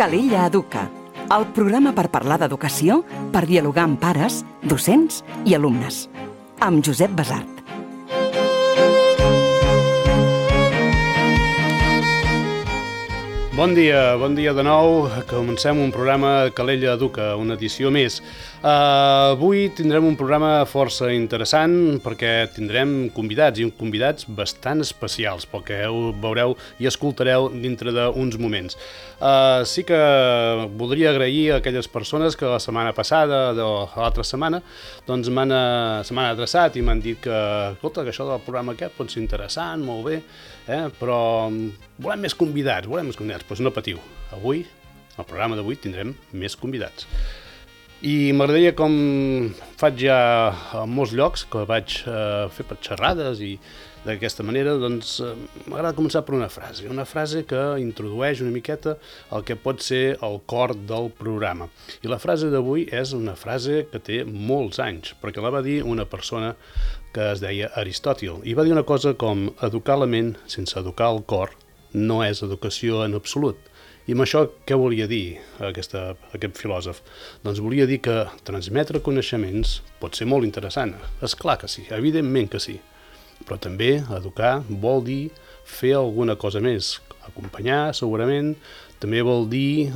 Calella Educa, el programa per parlar d'educació, per dialogar amb pares, docents i alumnes. Amb Josep Basart. Bon dia de nou. Comencem un programa Calella Educa, una edició més. Avui tindrem un programa força interessant perquè tindrem convidats, i convidats bastant especials, pel que veureu i escoltareu dintre d'uns moments. Sí que voldria agrair a aquelles persones que la setmana passada, l'altra setmana, doncs se m'han adreçat i m'han dit que, escolta, que això del programa aquest pot ser interessant, molt bé, però volem més convidats, doncs no patiu. Avui, al programa d'avui, tindrem més convidats. I m'agradaria, com faig ja a molts llocs, que vaig fer per xerrades i d'aquesta manera, doncs m'agrada començar per una frase que introdueix una miqueta el que pot ser el cor del programa. I la frase d'avui és una frase que té molts anys, perquè la va dir una persona que es deia Aristòtil, i va dir una cosa com: educar la ment sense educar el cor no és educació en absolut. I amb això què volia dir aquest filòsof? Doncs volia dir que transmetre coneixements pot ser molt interessant. És clar que sí, evidentment que sí. Però també educar vol dir fer alguna cosa més. Acompanyar, segurament, també vol dir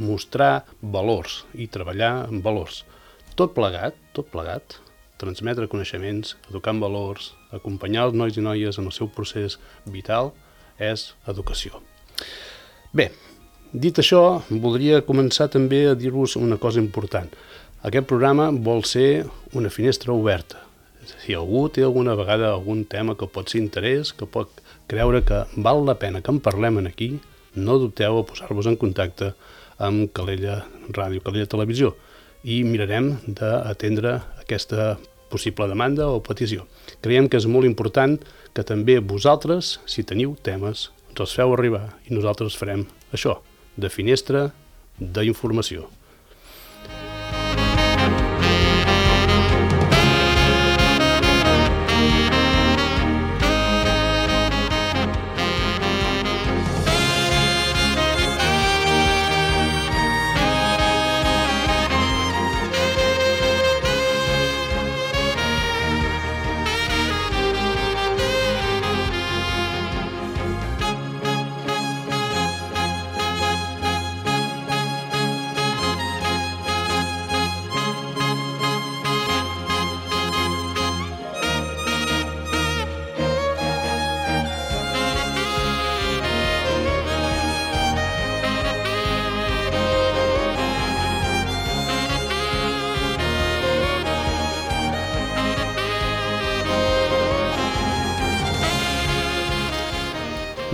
mostrar valors i treballar amb valors. Tot plegat, transmetre coneixements, educar en valors, acompanyar els nois i noies en el seu procés vital, és educació. Bé, dit això, voldria començar també a dir-vos una cosa important. Aquest programa vol ser una finestra oberta. Si algú té alguna vegada algun tema que pot ser interès, que pot creure que val la pena que en parlem aquí, no dubteu a posar-vos en contacte amb Calella Ràdio, Calella Televisió, i mirarem d'atendre aquesta possible demanda o petició. Creiem que és molt important que també vosaltres, si teniu temes, ens els feu arribar i nosaltres farem això, de finestra d'informació.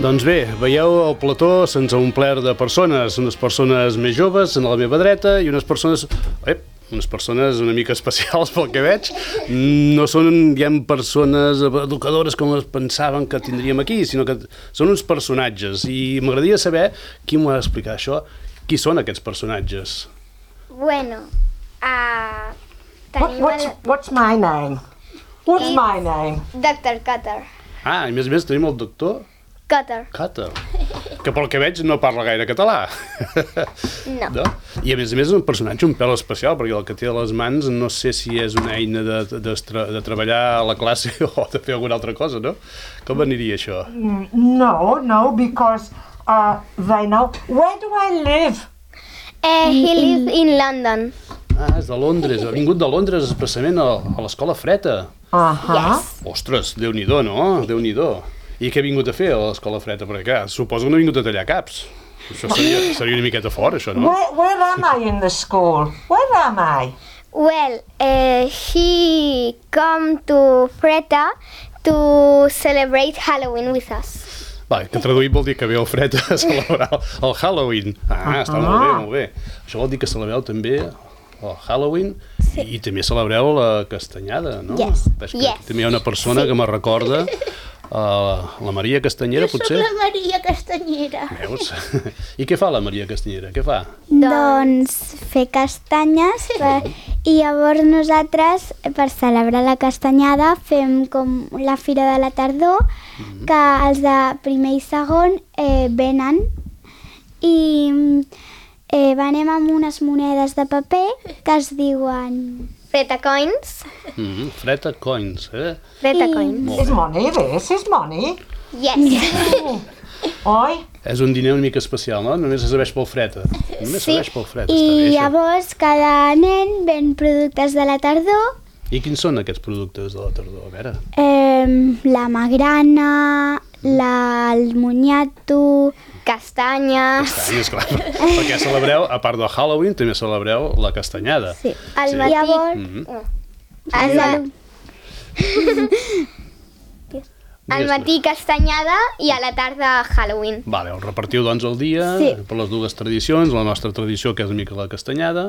Doncs bé, veieu, el plató se'ns ha omplert de persones, unes persones més joves a la meva dreta i unes persones una mica especials pel que veig. No són, diguem, persones educadores com es pensaven que tindríem aquí, sinó que són uns personatges. I m'agradaria saber qui m'ho ha d'explicar això. Qui són aquests personatges? Bueno, What's my name? What's my name? Dr. Cutter. I a més tenim el doctor Cutter. Que pel que veig no parla gaire català. No. I a més és un personatge un pèl especial, perquè el que té a les mans no sé si és una eina de treballar a la classe o de fer alguna altra cosa, no? Com aniria això? No, because they know. Where do I live? He lives in London. És de Londres. Ha vingut de Londres expressament a l'escola Freta. Yes. Ostres, Déu-n'hi-do, no? Déu-n'hi-do. I què ha vingut a fer a l'escola Freta? Perquè, clar, suposo que no ha vingut a tallar caps. Això seria una miqueta fort, això, no? Where am I in the school? Where am I? Well, he come to Freta to celebrate Halloween with us. Va, que traduït vol dir que ve el Freta a celebrar el Halloween. Està molt bé. Això vol dir que celebreu també el Halloween i també celebreu la castanyada, no? Yes. També hi ha una persona que me recorda la Maria Castanyera, potser? Jo soc la Maria Castanyera. Veus? I què fa la Maria Castanyera? Què fa? Doncs fer castanyes i llavors nosaltres per celebrar la castanyada fem com la fira de la tardor que els de primer i segon venen i venem amb unes monedes de paper que es diuen... Freta coins. Freta coins, Freta coins. Molt Is money this? Is money? Yes. Oi? És un diner una mica especial, no? Només es serveix pel freta. Només serveix pel freta, I està bé, això. llavors cada nen ven productes de la tardor. I quins són aquests productes de la tardor? A veure. La magrana, el moniato... Castanyes. Castanyes, clar. Perquè celebreu, a part del Halloween, també celebreu la castanyada. Sí. Al Sí. matí. Llavors, Al matí castanyada i a la tarda Halloween. Vale, el repartiu doncs el dia per les dues tradicions, la nostra tradició que és una mica la castanyada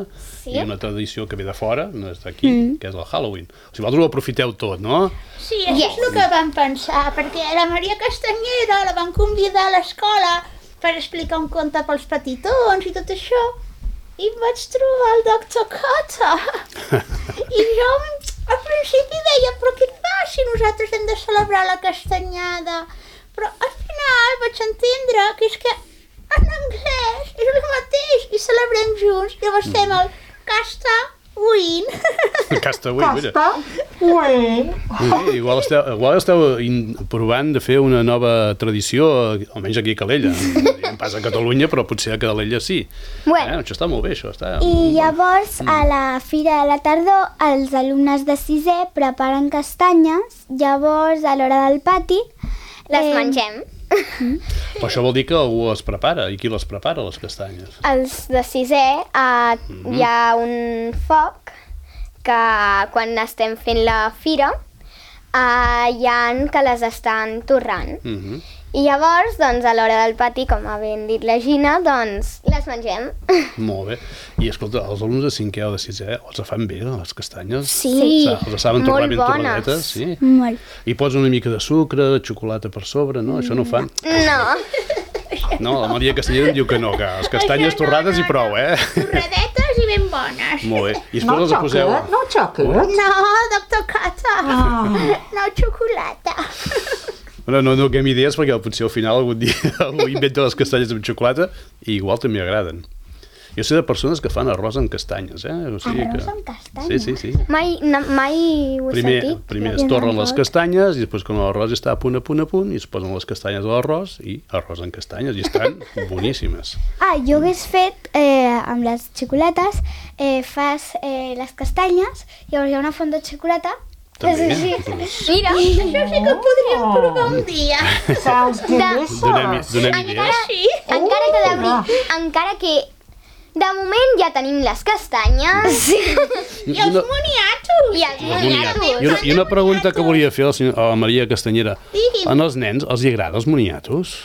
i una tradició que ve de fora, no és d'aquí, que és el Halloween. O sigui, vosaltres ho aprofiteu tot, no? Sí, això és el que vam pensar, perquè la Maria Castanyera la van convidar a l'escola per explicar un conte pels petitons i tot això, i vaig trobar el Dr. Cotter. I jo al principi deia, però què fa si nosaltres hem de celebrar la castanyada? Però al final vaig entendre que és que en anglès és el mateix i celebrem junts. Llavors fem el Castawin. Castawin, mira. Castawin. Igual esteu provant de fer una nova tradició, almenys aquí a Calella. No pas a Catalunya, però potser a Calella sí. Bueno. Això està molt bé, això està... I llavors, a la Fira de la Tardor, els alumnes de 6è preparen castanyes, llavors, a l'hora del pati... Les mengem. Però això vol dir que algú les prepara. I qui les prepara, les castanyes? Els de 6è hi ha un foc que quan estem fent la fira hi ha que les estan torrant. I llavors, doncs, a l'hora del pati, com ha ben dit la Gina, doncs, les mengem. Molt bé. I escolta, els alumnes de 5è o de 6è els fan bé, les castanyes? Sí, Els saben torrar molt ben bones. torradetes, sí? Molt. I pots una mica de sucre, de xocolata per sobre, no? Això no ho fan? No. No, la Maria Castanyera em diu que no, que les castanyes torrades i prou, Torradetes i ben bones. Molt bé. I No després les poseu... chocolate? No chocolate? No, Dr. Cotter. No xocolata. No donem idees perquè potser al final algun dia algú inventa les castanyes amb xocolata i igual també agraden. Jo sé de persones que fan arròs amb castanyes, O sigui Arròs que... amb castanyes? Sí. Mai ho he sentit. Primer es torren les castanyes i després quan l'arròs està a punt i es posen les castanyes a l'arròs i arròs amb castanyes i estan boníssimes. Jo hagués fet, amb les xocolates, fas les castanyes, llavors hi ha una font de xocolata. També. Mira, Això sí que ho podríem provar un dia. Sounds delicious. Donem idees. encara que de moment ja tenim les castanyes. I els moniatos. I els moniatos. I una pregunta que volia fer a la Maria Castanyera. Digui'm. En els nens els hi agraden els moniatos?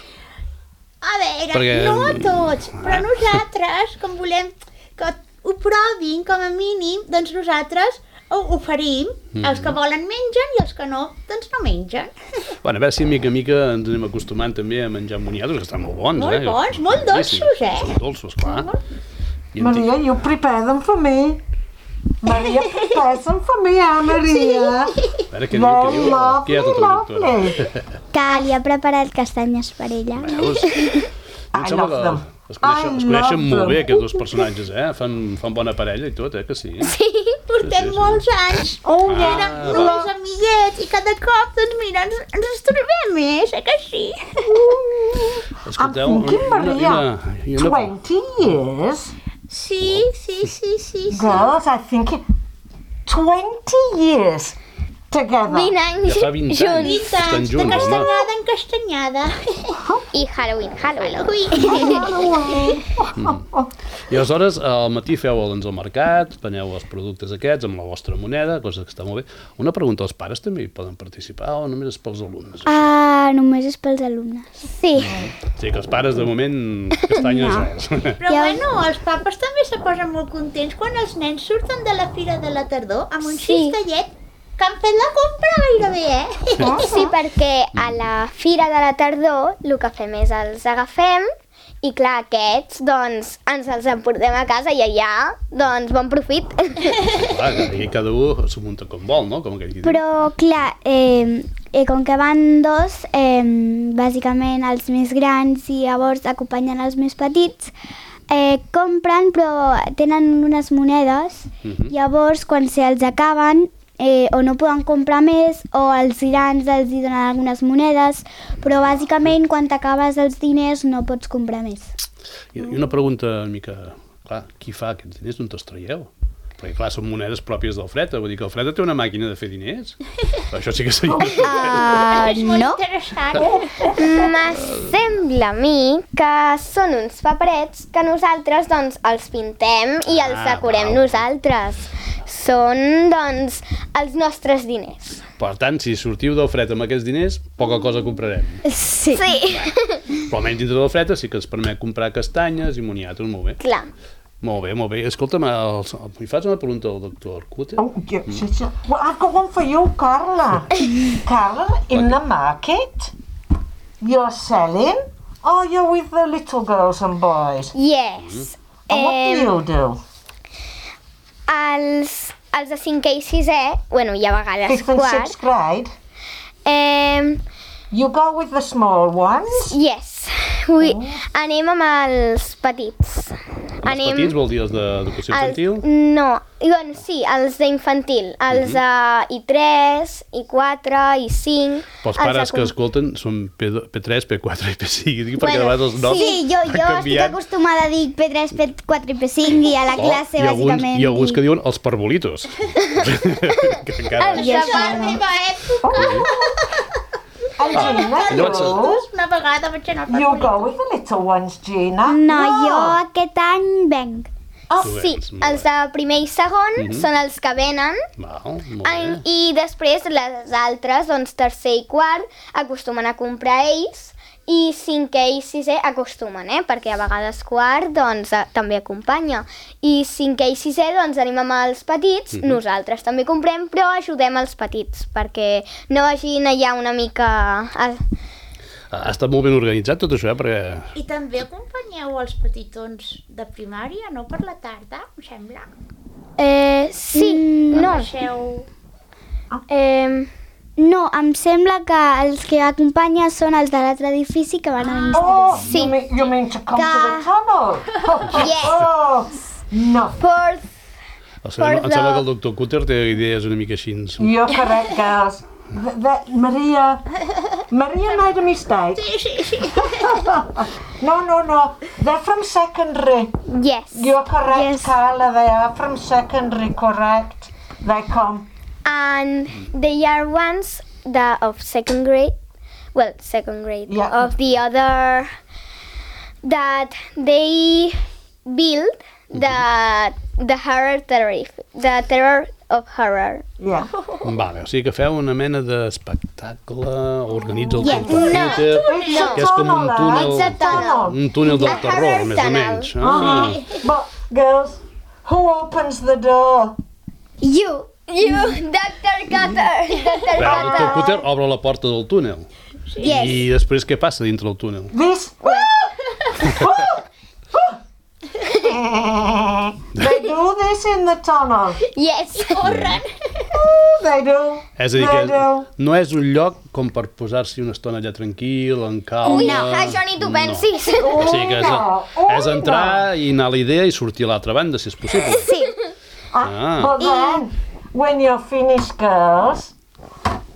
A veure, Perquè- no a tots, però nosaltres, com volem que ho provin com a mínim, doncs nosaltres ho oferim. Els que volen mengen i els que no, doncs no mengen. Bueno, a veure si mica en mica ens anem acostumant també a menjar moniatos, que estan molt bons, Molt bons, molt dolços, Són dolços, clar. Maria, you prepare them for me. Maria, prepare them for me, Maria. A veure què diu, què hi ha tota la doctora? Lovely. Que li ha preparat castanyes per ella. Veus? Em sembla love them. que es I coneixen love molt bé them. aquests dos personatges, Fan bona parella i tot, que sí? Portem sí. molts anys. Oh, Érem només amiguets i cada cop, doncs mira, ens estorbem més, que sí? I'm Escolteu, thinking, Maria, i una 20 years? Sí. Girls, I think 20 years together. 20 anys Ja fa 20 anys. junts. 20 Estan anys, de junts, home. castanyada en castanyada. I Halloween. I aleshores, al matí feu doncs, el mercat, veneu els productes aquests amb la vostra moneda, cosa que està molt bé. Una pregunta, els pares també hi poden participar o només és pels alumnes? Només és pels alumnes. Sí. Sí, que els pares de moment castanyes res. Però bueno, els papes també se posen molt contents quan els nens surten de la Fira de la Tardor amb un cistellet que han fet la compra gairebé, Sí, perquè a la Fira de la Tardor el que fem és els agafem i clar, aquests doncs ens els emportem a casa i allà doncs bon profit. Clar, i cada un s'ho munta com vol, no? Com aquell qui diu. Però, clar, com que van dos, bàsicament els més grans i llavors acompanyen els més petits, compren però tenen unes monedes, llavors quan se'ls acaben o no poden comprar més o els grans els donen algunes monedes, però bàsicament quan t'acabes els diners no pots comprar més. I una pregunta una mica... Clar, qui fa aquests diners? D'on te'ls traieu? Perquè, clar, són monedes pròpies del Freda. Vull dir que el Freda té una màquina de fer diners. Això sí que seria... És molt No. interessant. Sembla a mi que són uns paperets que nosaltres doncs els pintem i els decorem nosaltres. Són doncs els nostres diners. Per tant, si sortiu del Freda amb aquests diners, poca cosa comprarem. Sí. Sí, Però almenys dintre del Freda sí que ens permet comprar castanyes i moniatos, molt bé. clar. Molt bé, molt bé. Escolta'm, li fas una pregunta al doctor Cutter? Oh, yes. Well, I've got one for you, Carla. Carla, in the market, you're selling, or you're with the little girls and boys? Yes. And what do you do? Els de 5è i 6è, bueno, i a vegades 5th and 6th quart, grade? You go with the small ones? yes, anem amb els petits. Els petits vol dir els d'educació infantil? No, bueno, sí, els d'infantil, els de I3, I4, I5... Pels pares que escolten són P3, P4 i P5, perquè de vegades els noms Sí, jo estic acostumada a dir P3, P4 i P5 i a la classe, bàsicament. I alguns que diuen els parvolitos. Que encara... De la meva època, And Gina, una vegada vaig anar al you go with the little ones, Gina? No, jo aquest any venc. Sí, els de primer i segon són els que venen Val, molt bé. i després les altres, doncs tercer i quart, acostumen a comprar ells i 5è i 6è acostumen, perquè a vegades quart doncs també acompanya. I 5è i 6è doncs anem amb els petits, nosaltres també comprem, però ajudem els petits perquè no vagin allà una mica... Ha estat molt ben organitzat tot això, perquè... I també acompanyeu els petitons de primària, no per la tarda, em sembla? Sí, no. Baixeu... No, em sembla que els que acompanya són els de l'altre edifici que van a Oh, l'institut. you mean to come to the tunnel? Yes. Oh, no. Em sembla que el doctor Cutter té idees una mica així. You're correct, girls. Maria made a mistake. No. They're from secondary. Yes. You're correct, Yes. Carla. They are from secondary, correct. They come. And they are ones of second grade, Yeah. of the other, that they build the terror of horror. Yeah. Vale, o sigui que feu una mena d'espectacle, organitza el Yes. computer, No. que és com un túnel, It's a tunnel. un túnel del A terror, horror més o tunnel. menys. Ah. But, girls, who opens the door? You, Dr. Cutter. El doctor Cutter obre la porta del túnel. Yes. I després què passa dintre del túnel? This. They do this in the tunnel. Yes. They do. És a dir, They que do. no és un lloc com per posar-s'hi una estona allà tranquil, en calma... No, això ni tu pensis. O sigui que és entrar i anar a la idea i sortir a l'altra banda, si és possible. Sí. But then, when you're finished, girls,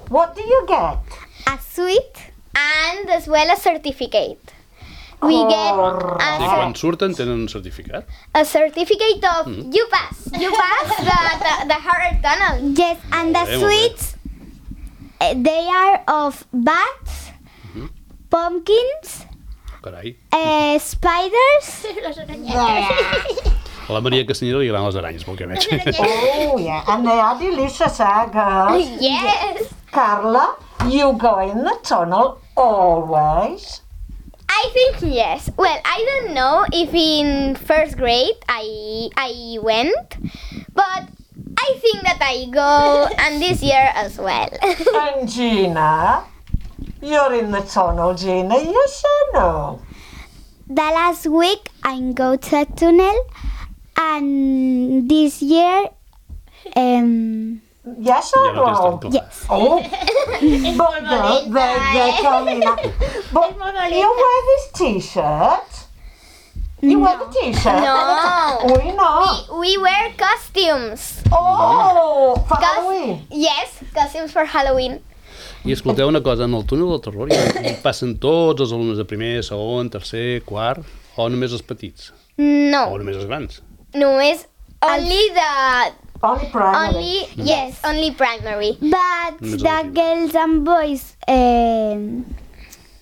what do you get? A suite and as well a certificate. We get I quan surten tenen un certificat. a certificate of you pass the horror tunnel. Yes, and the Molt bé. sweets, they are of bats, pumpkins, Carai. spiders, Les aranyetes. A la Maria Castanyera li agraden les aranyes, pel que veig. Oh, yeah. And they are delicious, girls? Yes. Carla, you go in the tunnel always? I think yes. Well, I don't know if in first grade I went, but I think that I go and this year as well. And Gina? You're in the tunnel, Gina, yes or no? The last week I go to a tunnel, and this year Yes or Ja no tens no? tan clar. Yes. Oh, És molt valent. they're coming up. But molt valenta. you wear this t-shirt? You wear the t-shirt? No. We not. We wear costumes. Oh, for Halloween. Yes, costumes for Halloween. I escolteu una cosa, en el túnel del terror hi passen tots els alumnes de primer, segon, tercer, quart, o només els petits? No, O només els grans? només Only primary. only primary. But Només the el girls and boys,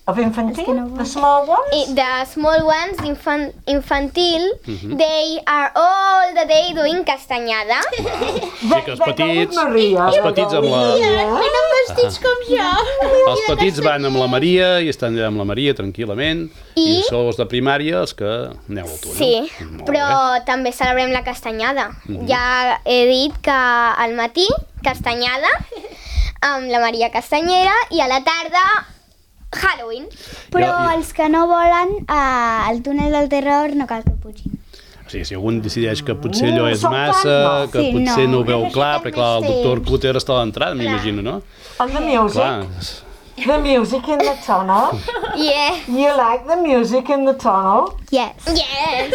Of infantil? que no The small ones? The small ones, infantil, they are all the day doing castanyada. Sí, que els petits, Maria. els petits amb la... Venen vestits com jo. Els petits van amb la Maria i estan allà amb la Maria tranquil·lament i sou els de primària els que aneu al túnel. Sí, Molt però bé. també celebrem la castanyada. Ja he dit que al matí, castanyada, amb la Maria Castanyera, i a la tarda, Halloween. però Jo- els que no volen al túnel del terror no cal que pugin. O sigui, si algú decideix que potser allò és Som massa, fan, que Sí, potser no ho veu Necessiten clar, perquè clar, el més doctor temps. Cutter està a l'entrada, m'imagino, no? And the music? Clar, The music in the tunnel? Yeah. You like the music in the tunnel? Yes. Yes.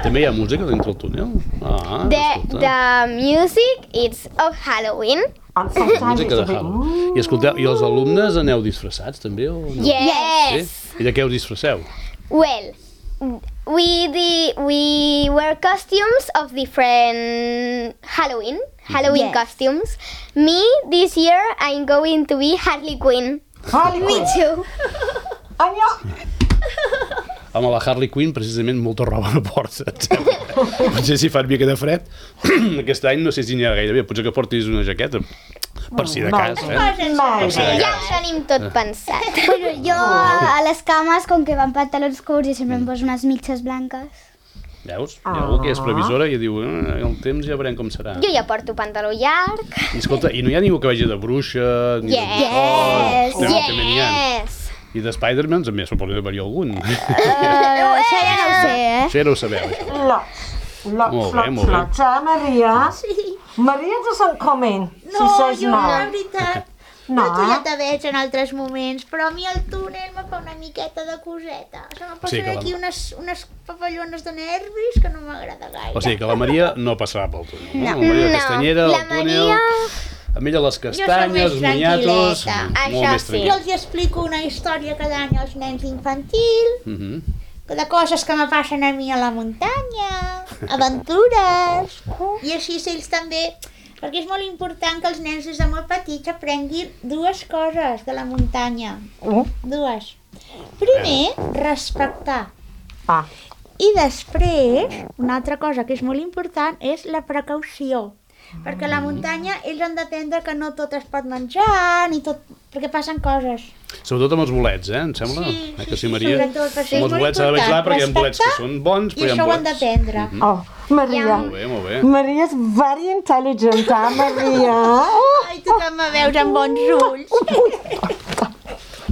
també hi ha música dintre el túnel? Ah, escolta. The music is of Halloween. And sometimes Música it's de a bit... Halloween. I escolteu, i els alumnes aneu disfressats també? O no? Yes. Sí? I de què us disfresseu? Well, we wear costumes of different Halloween Yes. costumes. Me, this year, I'm going to be Harley Quinn. Harley Quinn. Too. And you... Home, la Harley Quinn, precisament, molta roba no porta, em sembla. Potser si fa una mica de fred, aquest any no sé si n'hi ha gairebé, potser que portis una jaqueta, per si de cas, eh? Nice. Ja ho tenim tot pensat. Bueno, jo a les cames, com que van pantalons curts i sempre em poso unes mitges blanques. Veus? Hi ha algú que és previsora i diu, el temps ja veurem com serà. Jo ja porto pantaló llarg. I escolta, i no hi ha ningú que vagi de bruixa, ni Yes. de bruixot, Yes. també n'hi ha. I de Spider-Man també suposo que hi algun. Això ja no ho sé, Això ja no ho sabeu, això. Lots. Molt bé, molt bé. Lots. Maria? Sí. Maria doesn't come in. No, She says jo, no. la veritat, No. tu ja te veig en altres moments, però a mi el túnel me fa una miqueta de coseta. Se me Sí, posen que la- aquí unes papallones de nervis que no m'agrada gaire. O sigui que la Maria no passarà pel túnel, no? La Maria No. Castanyera, La el túnel... Maria- Amb ella les castanyes, més els moniatos... tranquil·leta. Molt Això més sí. tranquil. Jo els hi explico una història cada any als nens infantil, de coses que me passen a mi a la muntanya, aventures, i així ells també, perquè és molt important que els nens des de molt petits aprenguin dues coses de la muntanya. Dues. Primer, respectar. Ah. I després, una altra cosa que és molt important és la precaució. Perquè a la muntanya ells han d'aprendre que no tot es pot menjar, ni tot... perquè passen coses. Sobretot amb els bolets, eh? Em sembla? Sí, Que sí, sí, Maria? sobretot, perquè Amb és els molt bolets s'ha de veure clar, important perquè hi ha bolets que respectar són bons, I però hi ha això ho han bolets... d'aprendre. Oh, Maria. Molt bé, molt bé. Maria's very intelligent, Maria? Oh. Ai, tu que me veus amb bons ulls.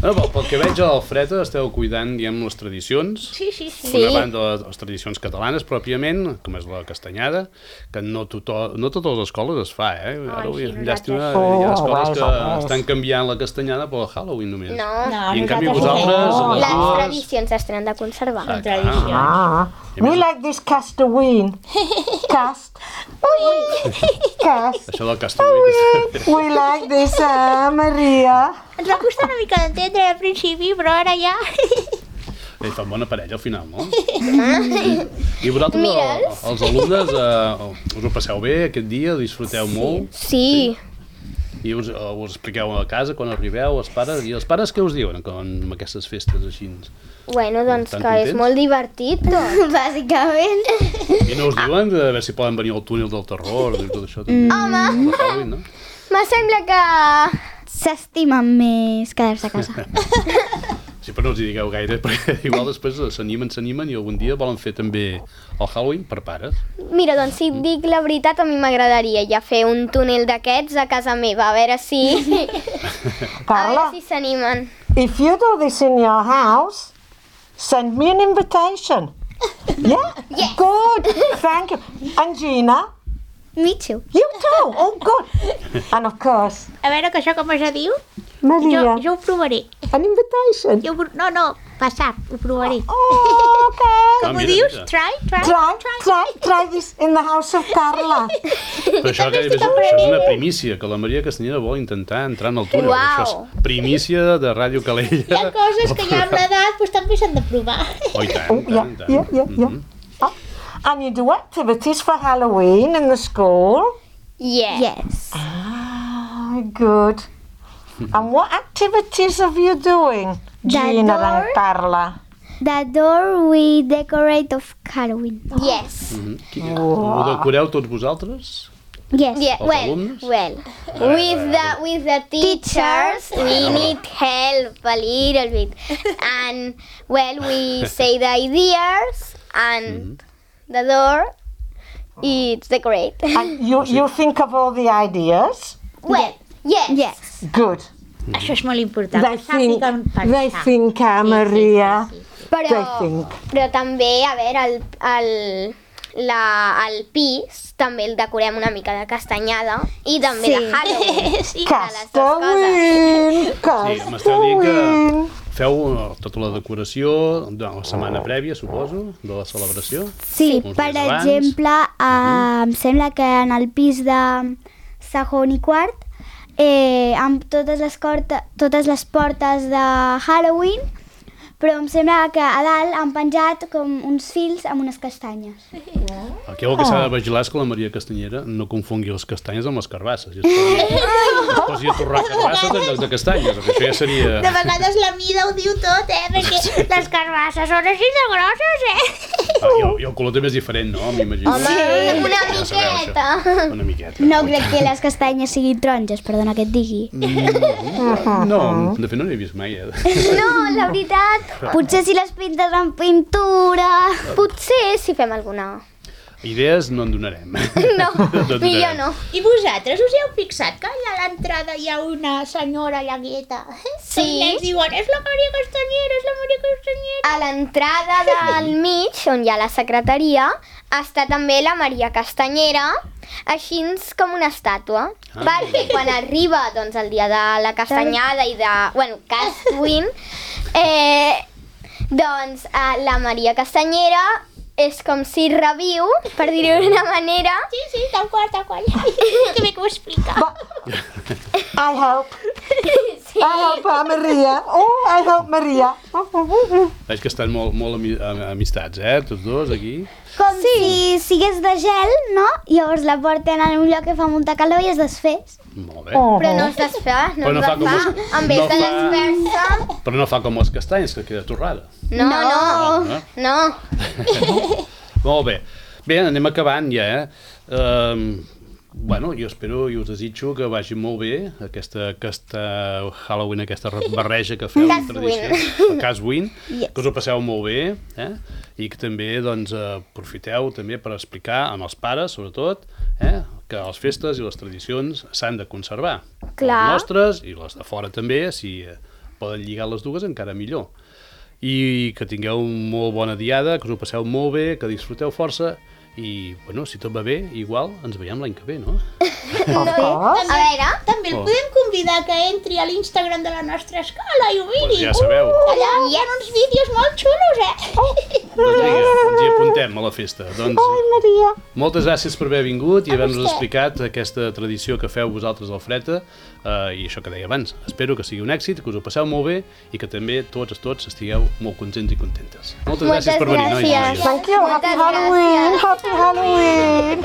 No, pel que veig a l'Alfreda esteu cuidant, diguem, les tradicions. Sí, sí, sí. Per una banda, les tradicions catalanes, pròpiament, com és la castanyada, que no totes les escoles es fa, eh? Ara, sí, llàstima, nosaltres- hi ha escoles Oh, que res. estan canviant la castanyada per Halloween només. No, No, I en canvi nosaltres vosaltres, no. les les dues... tradicions es tenen de conservar. Són tradicions. Ah. We like this Castaween. Cast. Cast. Això del Castaway. We like this, Maria. Ens va costar una mica d'entendre al principi, però ara ja... Fan bona parella al final, no? I vosaltres, els alumnes, us ho passeu bé aquest dia? Disfruteu molt? Sí. I us expliqueu a casa quan arribeu, els pares? I els pares què us diuen amb aquestes festes així? Bueno, doncs Estan que és contents? molt divertit tot. Bàsicament. I no us diuen de veure si poden venir al túnel del terror i tot això també? Home, De Halloween, no? me sembla que... S'estimen més quedar-se a casa. Sí, però no els hi digueu gaire, perquè igual després s'animen i algun dia volen fer també el Halloween per pares. Mira, doncs si et dic la veritat, a mi m'agradaria ja fer un túnel d'aquests a casa meva, a veure si... a Carla, veure si s'animen. if you do this in your house, send me an invitation. Yeah? Yes. Good. Thank you. And Gina, Me too. You too? Oh, good. And of course, A veure, que això com es diu? Maria, Jo ho provaré. an invitation. No, passat, ho provaré. Oh, okay. Com ho dius? Try? Try this in the house of Carla. Però això, això és una primícia, que la Maria Castanyera vol intentar entrar en el túnel. Uau. Això és primícia de Ràdio Calella. Hi ha coses que ja amb l'edat doncs, també s'han de provar. Oh, i tant, Oh, yeah, tant. yeah, yeah, yeah. And you do activities for Halloween in the school? Yes. Yes. Ah, good. And what activities are you doing, Gina and Carla? The door we decorate of Halloween. Yes. Ho decoreu tots vosaltres? Yes. Yeah, Els alumnes? well, with the teachers, we need help a little bit, and well, we say the ideas and the door. It's decorate. And you think of all the ideas? Well, yes. Yes. Good. Això és molt important. They que sàpiguen think, pensar. Maria. Però, They think. però també, a veure, el pis també el decorem una mica de castanyada i també de Halloween. Sí. De les dues coses. Sí, m'esteu dient que feu tota la decoració de la setmana prèvia, suposo, de la celebració? Sí, Uns per dies abans. exemple, em sembla que en el pis de segon i quart, amb totes les portes de Halloween, però em sembla que a dalt han penjat com uns fils amb unes castanyes. Aquí el que s'ha de vigilar és que la Maria Castanyera no confongui les castanyes amb les carbasses. Es posi a torrar carbasses en lloc de castanyes, perquè això ja seria... De vegades la mida ho diu tot, perquè les carbasses són així de grosses, I el color també és diferent, no? M'imagino. Home, una Ja sabeu, això. miqueta. Una miqueta. No crec que les castanyes siguin taronges, perdona que et digui. No, de fet no n'he vist mai, No, la veritat, Potser si les pintes amb pintura... potser si fem alguna... Idees no en donarem. No, millor no. I vosaltres us hi heu fixat que allà a l'entrada hi ha una senyora llagueta? Sí. I ens diuen, és la Maria Castanyera, és la Maria Castanyera. A l'entrada del mig, on hi ha la secretaria, està també la Maria Castanyera, així com una estàtua. Perquè quan arriba doncs, el dia de la castanyada i de... Bueno, Castwin, doncs la Maria Castanyera és com si reviu, per dir-ho d'una manera. Sí, tal qual. Que bé que ho explica. I help. I help Maria. Oh, I help Maria. Veig que estan molt amistats, tots dos, aquí. Com si sigués de gel, no? Llavors la porten en un lloc que fa molta calor i es desfés. Molt bé. Però no es desfà, no Però no es fa com desfà. els- En vez no de fa- desfer-se... Però no fa com les castanyes, que queda torrada. No. Molt bé. Bé, anem acabant ja, Bueno, jo espero i us desitjo que vagi molt bé aquesta Halloween, aquesta barreja que feu de tradició, el Castwin, que us ho passeu molt bé, i que també doncs, aprofiteu també per explicar amb els pares, sobretot, que les festes i les tradicions s'han de conservar. Clar. Les nostres i les de fora també, si poden lligar les dues encara millor. I que tingueu molt bona diada, que us ho passeu molt bé, que disfruteu força i, bueno, si tot va bé, igual ens veiem l'any que ve, no? Of course. A veure... També el podem convidar que entri a l'Instagram de la nostra escola i ho miri. Doncs ja sabeu. Allà hi ha uns vídeos molt xulos, Doncs vinga, ens hi apuntem a la festa. Doncs, Maria. moltes gràcies per haver vingut i haver-nos explicat aquesta tradició que feu vosaltres al Freta i això que deia abans. Espero que sigui un èxit, que us ho passeu molt bé i que també tots estigueu molt contents i contentes. Moltes gràcies per venir, nois i noies. Thank you. Happy Moltes Halloween. gràcies. Happy Halloween.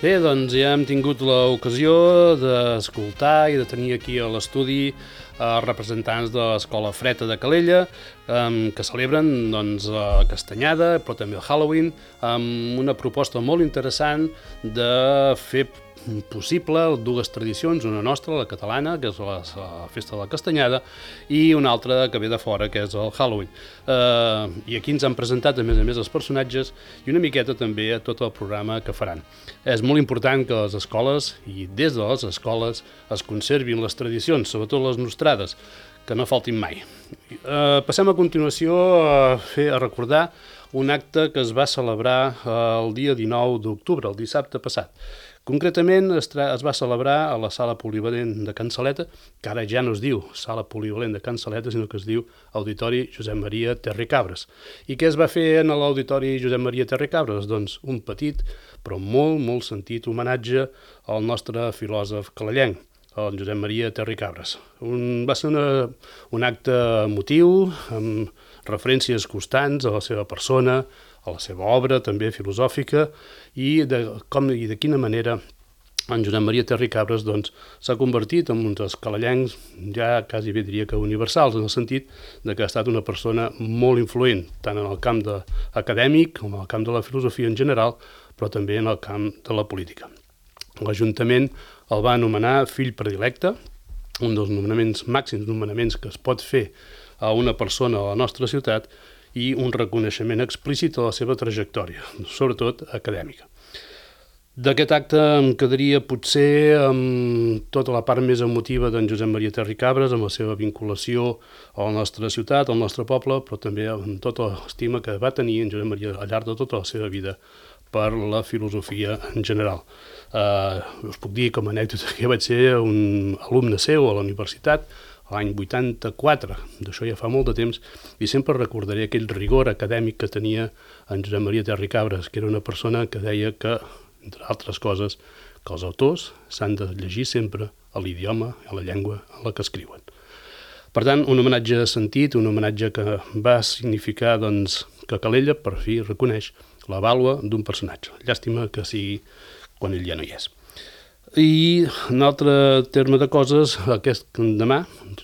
Bé, doncs ja hem tingut l'ocasió d'escoltar i de tenir aquí a l'estudi representants de l'Escola Freta de Calella, que celebren doncs, la Castanyada, però també el Halloween, amb una proposta molt interessant de fer possible dues tradicions, una nostra, la catalana, que és la festa de la Castanyada, i una altra que ve de fora, que és el Halloween. I aquí ens han presentat, a més els personatges i una miqueta també a tot el programa que faran. És molt important que les escoles, i des de les escoles, es conservin les tradicions, sobretot les nostrades, que no faltin mai. Passem a continuació a recordar un acte que es va celebrar el dia 19 d'octubre, el dissabte passat. Concretament es va celebrar a la sala polivalent de Can Saleta, que ara ja no es diu sala polivalent de Can Saleta, sinó que es diu Auditori Josep Maria Terricabres. I què es va fer en l'Auditori Josep Maria Terricabres? Doncs un petit, però molt sentit homenatge al nostre filòsof calellenc, el Josep Maria Terricabres. Va ser un acte emotiu, amb referències constants a la seva persona, a la seva obra, també filosòfica, i de quina manera en Josep Maria Terricabres s'ha convertit en un dels calellencs ja quasi bé diria que universals, en el sentit que ha estat una persona molt influent, tant en el camp acadèmic com en el camp de la filosofia en general, però també en el camp de la política. L'Ajuntament el va anomenar fill predilecte, un dels màxims nomenaments que es pot fer a una persona a la nostra ciutat, i un reconeixement explícit a la seva trajectòria, sobretot acadèmica. D'aquest acte em quedaria potser amb tota la part més emotiva d'en Josep Maria Terricabres, amb la seva vinculació a la nostra ciutat, al nostre poble, però també amb tota l'estima que va tenir en Josep Maria al llarg de tota la seva vida per la filosofia en general. Us puc dir com a anècdota que vaig ser un alumne seu a la universitat, l'any 84, d'això ja fa molt de temps, i sempre recordaré aquell rigor acadèmic que tenia en Josep Maria Terricabres, que era una persona que deia que, entre altres coses, que els autors s'han de llegir sempre a l'idioma, a la llengua en la que escriuen. Per tant, un homenatge sentit, un homenatge que va significar que Calella, per fi, reconeix la vàlua d'un personatge. Llàstima que sigui quan ell ja no hi és. I un altre terme de coses,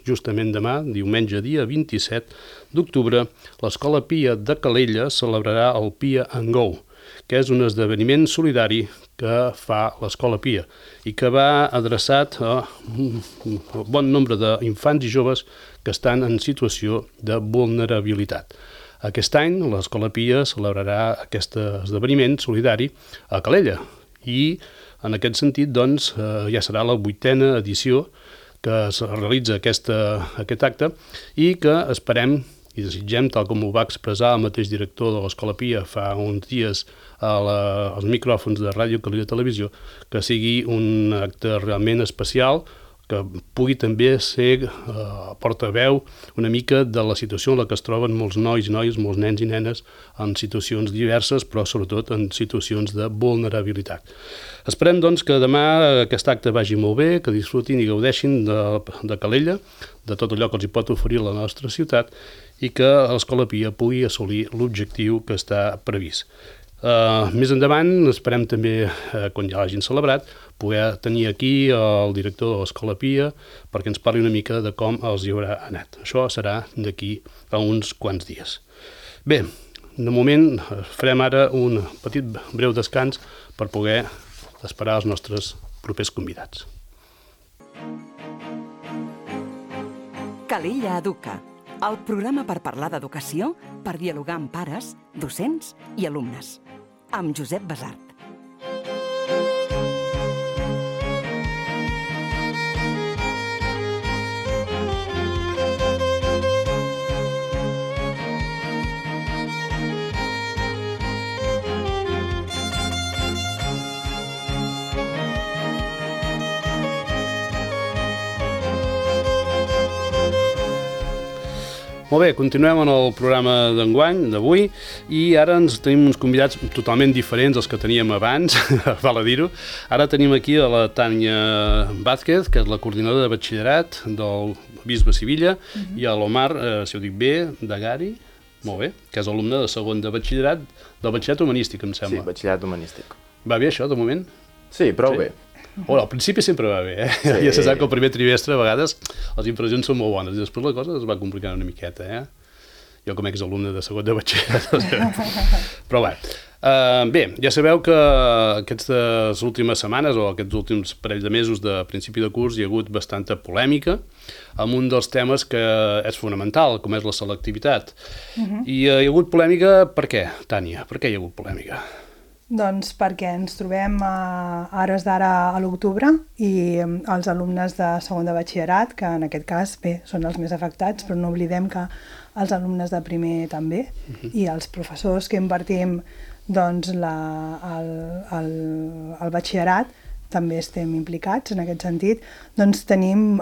justament demà, diumenge dia 27 d'octubre, l'Escola Pia de Calella celebrarà el Pia and Go, que és un esdeveniment solidari que fa l'Escola Pia i que va adreçat a un bon nombre d'infants i joves que estan en situació de vulnerabilitat. Aquest any l'Escola Pia celebrarà aquest esdeveniment solidari a Calella i en aquest sentit, ja serà la 8a edició que es realitza aquest acte i que esperem i desitgem, tal com ho va expressar el mateix director de l'Escola Pia fa uns dies als micròfons de Ràdio Calella Televisió, que sigui un acte realment especial, que pugui també ser portaveu una mica de la situació en la que es troben molts nois i noies, molts nens i nenes en situacions diverses, però sobretot en situacions de vulnerabilitat. Esperem, que demà aquest acte vagi molt bé, que disfrutin i gaudeixin de Calella, de tot allò que els hi pot oferir la nostra ciutat i que l'Escola Pia pugui assolir l'objectiu que està previst. Més endavant, esperem també, quan ja l'hagin celebrat, poder tenir aquí el director de l'Escola Pia perquè ens parli una mica de com els hi haurà anat. Això serà d'aquí a uns quants dies. Bé, de moment farem ara un petit breu descans per poder esperar els nostres propers convidats. Calella Educa, el programa per parlar d'educació, per dialogar amb pares, docents i alumnes. Amb Josep Basart. Molt bé, continuem en el programa d'enguany, d'avui, i ara ens tenim uns convidats totalment diferents dels que teníem abans, val a dir-ho. Ara tenim aquí a la Tània Vázquez, que és la coordinadora de batxillerat del Bisbe Sivilla, i a l'Omar, si ho dic bé, Dagari, molt bé, que és alumne de segon de batxillerat, del batxillerat humanístic, em sembla. Sí, batxillerat humanístic. Va bé això, de moment? Sí, prou bé. Bueno, al principi sempre va bé, Sí. Ja se sap que el primer trimestre a vegades les impressions són molt bones i després la cosa es va complicant una miqueta, Jo com a exalumne de segon de batxillerat. Però bé, ja sabeu que aquestes últimes setmanes o aquests últims parell de mesos de principi de curs hi ha hagut bastanta polèmica amb un dels temes que és fonamental, com és la selectivitat. I hi ha hagut polèmica per què, Tània? Per què hi ha hagut polèmica? Doncs perquè ens trobem a hores d'ara a l'octubre i els alumnes de segon de batxillerat, que en aquest cas, bé, són els més afectats, però no oblidem que els alumnes de primer també, i els professors que impartim doncs, el batxillerat també estem implicats en aquest sentit, doncs tenim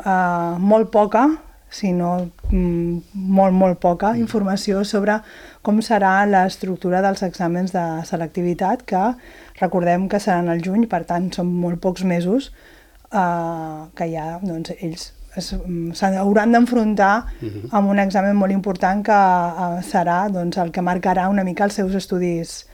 molt poca, si no molt poca informació sobre com serà l'estructura dels exàmens de selectivitat, que recordem que seran al juny, per tant són molt pocs mesos que ja doncs, ells s'hauran d'enfrontar amb un examen molt important que serà doncs, el que marcarà una mica els seus estudis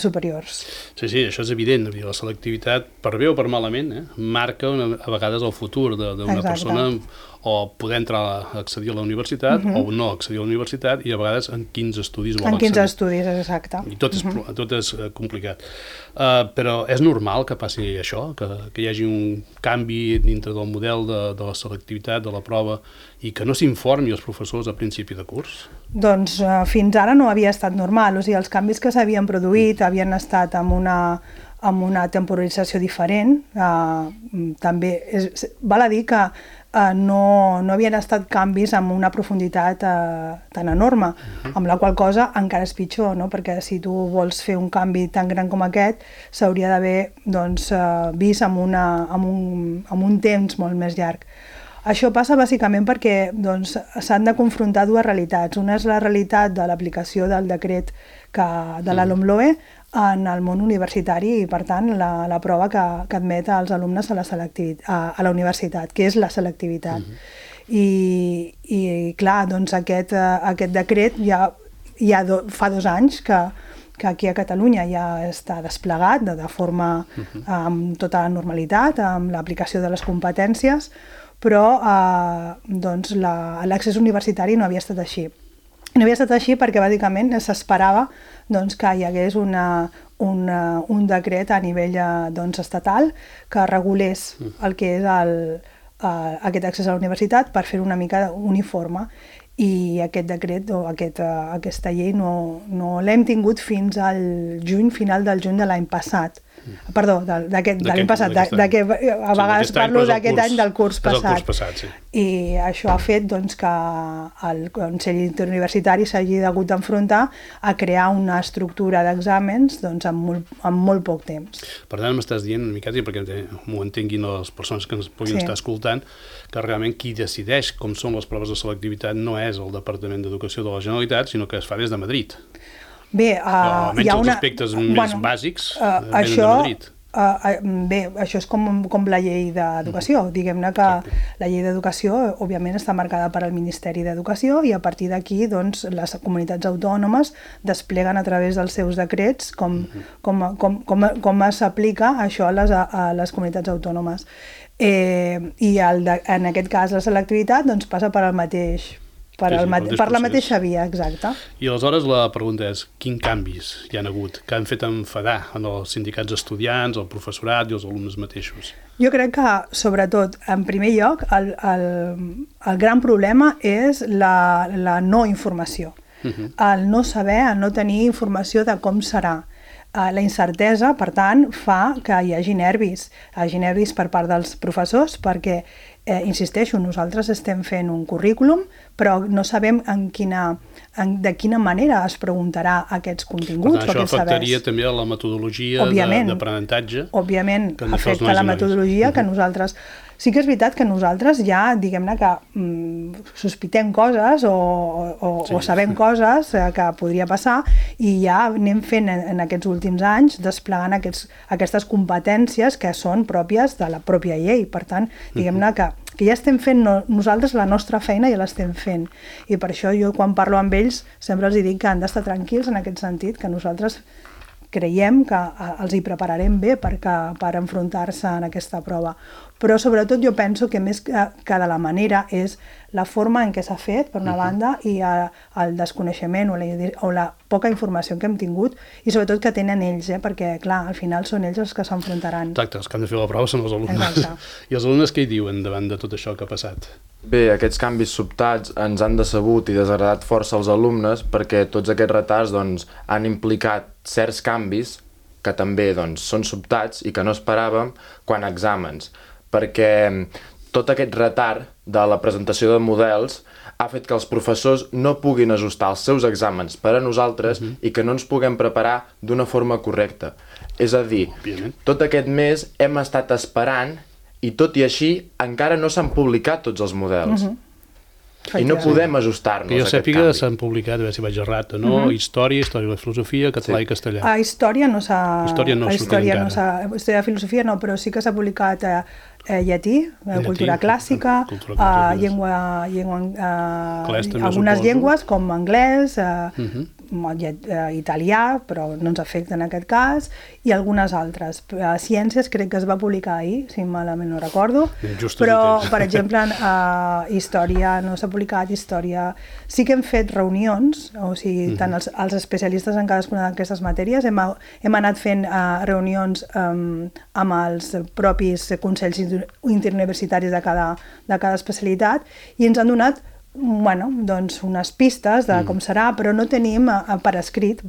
superiors. Sí, això és evident. La selectivitat, per bé o per malament, marca a vegades el futur d'una persona, o poder entrar a accedir a la universitat o no accedir a la universitat, i a vegades en quins estudis vol accedir. En quins estudis, exacte. I tot és complicat. Però és normal que passi això, que hi hagi un canvi dintre del model de la selectivitat, de la prova, i que no s'informi els professors a principi de curs? Doncs fins ara no havia estat normal. O sigui, els canvis que s'havien produït havien estat amb una temporalització diferent. També val a dir que no havien estat canvis amb una profunditat tan enorme, amb la qual cosa encara és pitjor, no? Perquè si tu vols fer un canvi tan gran com aquest, s'hauria d'haver vist amb un temps molt més llarg. Això passa bàsicament perquè s'han de confrontar dues realitats. Una és la realitat de l'aplicació del decret de la LOMLOE en el món universitari i, per tant, la prova que admet als alumnes a la universitat, que és la selectivitat. I clar, doncs aquest decret ja fa 2 anys que aquí a Catalunya ja està desplegat de forma amb tota la normalitat, amb l'aplicació de les competències, però l'accés universitari no havia estat així. No havia estat així perquè bàsicament s'esperava que hi hagués un decret a nivell estatal que regulés el que és aquest accés a la universitat per fer una mica uniforme. I aquest decret o aquesta llei no l'hem tingut fins al final del juny de l'any passat. Perdó, de l'any passat, a vegades parlo d'aquest any del curs passat. I això ha fet que el Consell Interuniversitari s'hagi hagut d'enfrontar a crear una estructura d'exàmens en molt poc temps. Per tant, m'estàs dient una miqueta, perquè m'ho entenguin les persones que ens puguin estar escoltant, que realment qui decideix com són les proves de selectivitat no és el Departament d'Educació de la Generalitat, sinó que es fa des de Madrid. Bé, almenys els aspectes més bàsics venen de Madrid. Bé, això és com la llei d'educació. Diguem-ne que la llei d'educació, òbviament, està marcada per al Ministeri d'Educació i a partir d'aquí les comunitats autònomes despleguen a través dels seus decrets com s'aplica això a les comunitats autònomes. I en aquest cas la selectivitat passa per la mateixa via, exacte. I aleshores la pregunta és, quins canvis hi han hagut que han fet enfadar en els sindicats estudiants, el professorat i els alumnes mateixos? Jo crec que, sobretot, en primer lloc, el gran problema és la no informació. El no saber, el no tenir informació de com serà. La incertesa, per tant, fa que hi hagi nervis per part dels professors perquè, insisteixo, nosaltres estem fent un currículum, però no sabem de quina manera es preguntarà aquests continguts. Per tant, això afectaria també a la metodologia d'aprenentatge. Òbviament, afecta la metodologia que nosaltres... Sí que és veritat que nosaltres ja, diguem-ne que sospitem coses o sabem coses que podria passar i ja anem fent en aquests últims anys desplegant aquestes competències que són pròpies de la pròpia llei. Per tant, diguem-ne que ja estem fent nosaltres la nostra feina ja l'estem fent. I per això jo quan parlo amb ells sempre els dic que han d'estar tranquils en aquest sentit, que nosaltres creiem que els hi prepararem bé per enfrontar-se en aquesta prova. Però sobretot jo penso que més que de la manera és la forma en què s'ha fet, per una banda, i el desconeixement o la poca informació que hem tingut, i sobretot que tenen ells, perquè, clar, al final són ells els que s'enfrontaran. Exacte, els que han de fer la prova són els alumnes. Exacte. I els alumnes què hi diuen davant de tot això que ha passat? Bé, aquests canvis sobtats ens han decebut i desagradat força als alumnes perquè tots aquests retards han implicat certs canvis que també són sobtats i que no esperàvem quan a exàmens, perquè tot aquest retard de la presentació de models ha fet que els professors no puguin ajustar els seus exàmens per a nosaltres i que no ens puguem preparar d'una forma correcta. És a dir, tot aquest mes hem estat esperant i tot i així encara no s'han publicat tots els models. I no podem ajustar-nos a aquest canvi. Que jo sàpiga s'han publicat, a veure si vaig errat o no, història de la filosofia, català i castellà. A història no s'ha... Història no història de filosofia no, però sí que s'ha publicat llatí, cultura clàssica, algunes llengües com anglès, italià, però no ens afecta en aquest cas, i algunes altres. Ciències crec que es va publicar ahir, si malament no recordo, però, per exemple, història no s'ha publicat, història... Sí que hem fet reunions, o sigui, tant els especialistes en cadascuna d'aquestes matèries, hem anat fent reunions amb els propis consells interuniversitaris de cada especialitat i ens han donat unes pistes de com serà, però no tenim per escrit,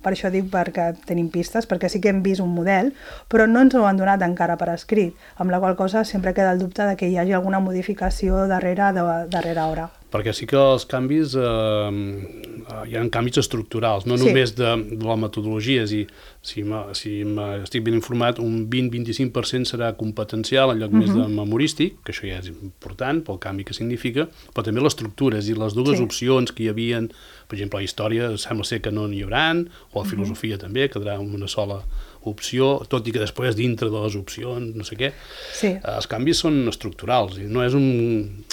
per això dic perquè tenim pistes, perquè sí que hem vist un model, però no ens ho han donat encara per escrit, amb la qual cosa sempre queda el dubte de que hi hagi alguna modificació darrere hora. Perquè sí que els canvis, hi ha canvis estructurals, no només de la metodologia, si estic ben informat, un 20-25% serà competencial en lloc més de memorístic, que això ja és important pel canvi que significa, però també les estructures i les dues opcions que hi havia, per exemple, a història sembla ser que no n'hi haurà, o a filosofia també, quedarà una sola opció, tot i que després dintre de les opcions, no sé què, els canvis són estructurals, i no és un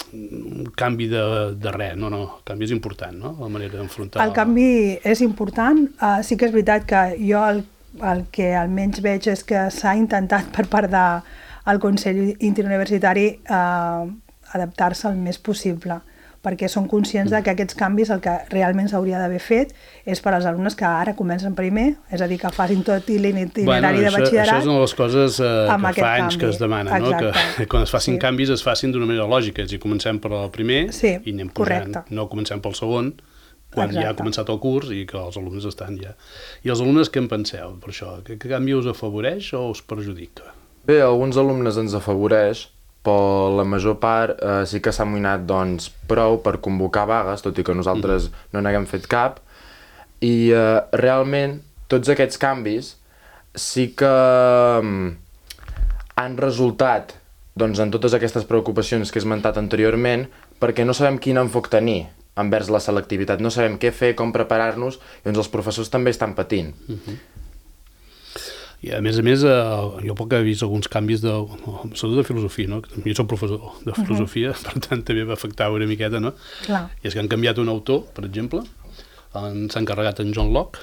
canvi de res, no, el canvi és important, no?, la manera d'enfrontar... El canvi és important, sí que és veritat que jo el que almenys veig és que s'ha intentat per part del Consell Interuniversitari adaptar-se el més possible, perquè són conscients que aquests canvis el que realment s'hauria d'haver fet és per als alumnes que ara comencen primer, és a dir, que facin tot l'itinerari de batxillerat. Això és una de les coses que fa anys que es demana, que quan es facin canvis es facin d'una manera lògica, és a dir, comencem per el primer i anem pujant, no comencem pel segon, quan ja ha començat el curs i que els alumnes estan ja. I els alumnes què en penseu per això? Que canvi us afavoreix o us perjudica? Bé, a alguns alumnes ens afavoreix, però la major part sí que s'ha amoïnat prou per convocar vagues, tot i que nosaltres no n'haguem fet cap, i realment tots aquests canvis sí que han resultat en totes aquestes preocupacions que he esmentat anteriorment, perquè no sabem quin enfoc tenir envers la selectivitat, no sabem què fer, com preparar-nos, i els professors també estan patint. I a més, jo poc he vist alguns canvis sobretot de filosofia, no? Jo soc professor de filosofia, per tant també va afectar una miqueta, no? I és que han canviat un autor, per exemple, s'ha encarregat en John Locke,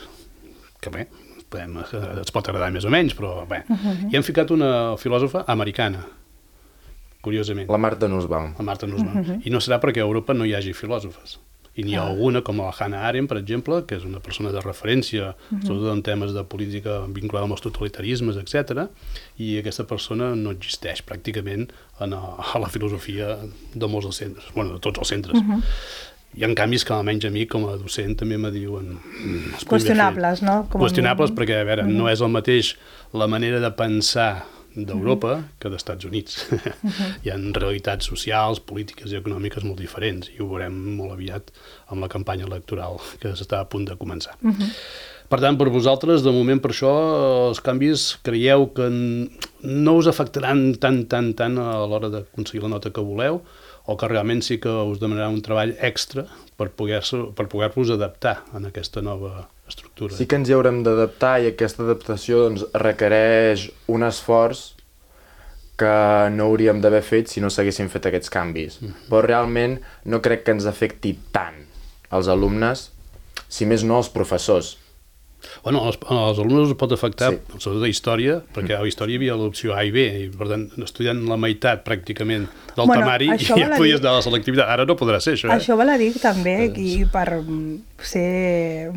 que bé, ens pot agradar més o menys, però bé, i han ficat una filòsofa americana, curiosament. La Martha Nussbaum. I no serà perquè a Europa no hi hagi filòsofes. I n'hi ha alguna, com la Hannah Arendt, per exemple, que és una persona de referència, sobretot en temes de política vinculada amb els totalitarismes, etc. I aquesta persona no existeix pràcticament a la filosofia de molts dels centres, de tots els centres. Hi ha canvis que almenys a mi, com a docent, també me diuen... Qüestionables, no? Qüestionables perquè, a veure, no és el mateix la manera de pensar d'Europa que dels Estats Units. Hi ha realitats socials, polítiques i econòmiques molt diferents i ho veurem molt aviat amb la campanya electoral que està a punt de començar. Per tant, per vosaltres, de moment per això, els canvis creieu que no us afectaran tant a l'hora d'aconseguir la nota que voleu o que realment sí que us demanarà un treball extra per poder-vos adaptar en aquesta nova estructura. Sí que ens hi haurem d'adaptar i aquesta adaptació requereix un esforç que no hauríem d'haver fet si no s'haguessin fet aquests canvis. Però realment no crec que ens afecti tant als alumnes, si més no als professors. Bueno, als alumnes us pot afectar, sobretot a història, perquè a història hi havia l'opció A i B, i per tant, estudiant la meitat pràcticament del temari, ja podies anar a la selectivitat. Ara no podrà ser, això. Això val a dir també, i per ser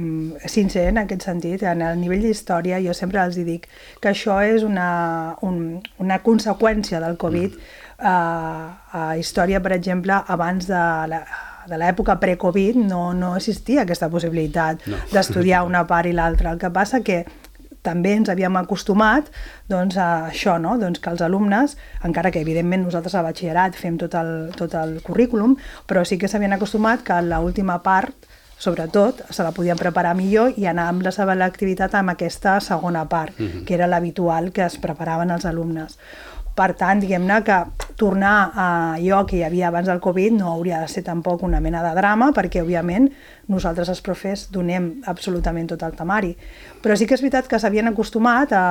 sincer en aquest sentit, en el nivell d'història jo sempre els dic que això és una conseqüència del Covid. A història, per exemple, abans de l'època pre-Covid no existia aquesta possibilitat d'estudiar una part i l'altra. El que passa que també ens havíem acostumat a això, que els alumnes, encara que evidentment nosaltres a batxillerat fem tot el currículum, però sí que s'havien acostumat que l'última part, sobretot, se la podien preparar millor i anar amb la selectivitat amb aquesta segona part, que era l'habitual que es preparaven els alumnes. Per tant, diguem-ne que tornar a allò que hi havia abans del Covid no hauria de ser tampoc una mena de drama, perquè, òbviament, nosaltres els profes donem absolutament tot el temari. Però sí que és veritat que s'havien acostumat a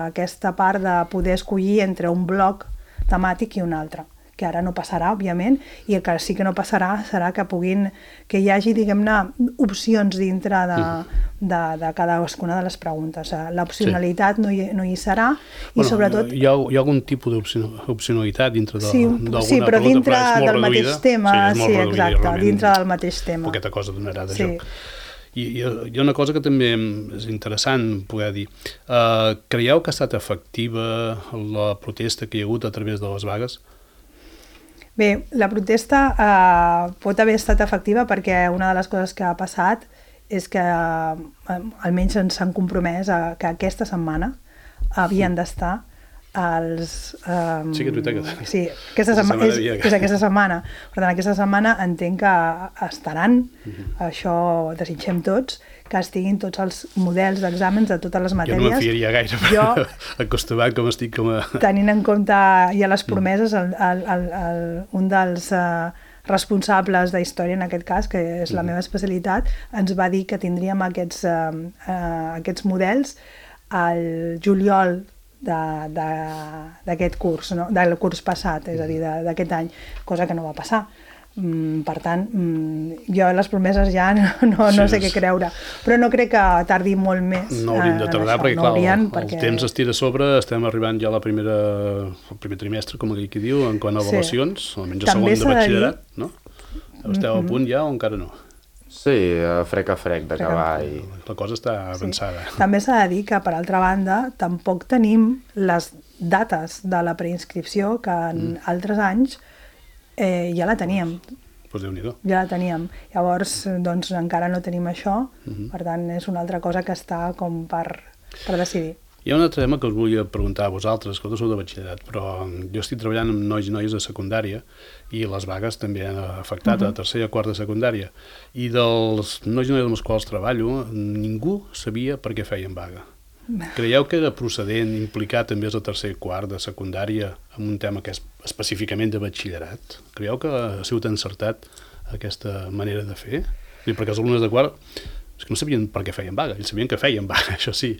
aquesta part de poder escollir entre un bloc temàtic i un altre, que ara no passarà, òbviament, i el que sí que no passarà serà que hi hagi, diguem-ne, opcions dintre de cadascuna de les preguntes. L'opcionalitat no hi serà i sobretot... Hi ha algun tipus d'opcionalitat dintre d'alguna pregunta, sí, però dintre del mateix tema, sí, exacte, dintre del mateix tema. Poqueta cosa donarà de joc. I hi ha una cosa que també és interessant poder dir. Creieu que ha estat efectiva la protesta que hi ha hagut a través de les vagues? Bé, la protesta pot haver estat efectiva perquè una de les coses que ha passat és que almenys ens han compromès que aquesta setmana havien d'estar els... Sí que és veritat. Sí, aquesta setmana. Per tant, aquesta setmana entenc que estaran, això desitgem tots, que estiguin tots els models d'exàmens de totes les matèries. Jo no me'n fiaria gaire, acostumat com estic com a... Tenint en compte ja les promeses, un dels responsables de història, en aquest cas, que és la meva especialitat, ens va dir que tindríem aquests models al juliol d'aquest curs, del curs passat, és a dir, d'aquest any, cosa que no va passar. Per tant, jo les promeses ja no sé què creure, però no crec que tardi molt més. No haurien de tardar, perquè clar, el temps es tira a sobre, estem arribant ja al primer trimestre, com aquí diu, en quant a avaluacions, almenys a segon de batxillerat, no? Esteu a punt ja o encara no? Sí, a frec d'acabar. La cosa està avançada. També s'ha de dir que, per altra banda, tampoc tenim les dates de la preinscripció que en altres anys ja la teníem. Pues Déu-n'hi-do. Ja la teníem. Llavors, doncs, encara no tenim això, per tant, és una altra cosa que està com per decidir. Hi ha un altre tema que us volia preguntar a vosaltres, que vosaltres sou de batxillerat, però jo estic treballant amb nois i noies de secundària i les vagues també han afectat a tercera i quart de secundària. I dels nois i noies amb els quals treballo, ningú sabia per què feien vaga. Creieu que era procedent implicar també els de tercer i quart de secundària en un tema que és específicament de batxillerat? Creieu que ha sigut encertat aquesta manera de fer? Perquè els alumnes de quart és que no sabien per què feien vaga, ells sabien que feien vaga, això sí,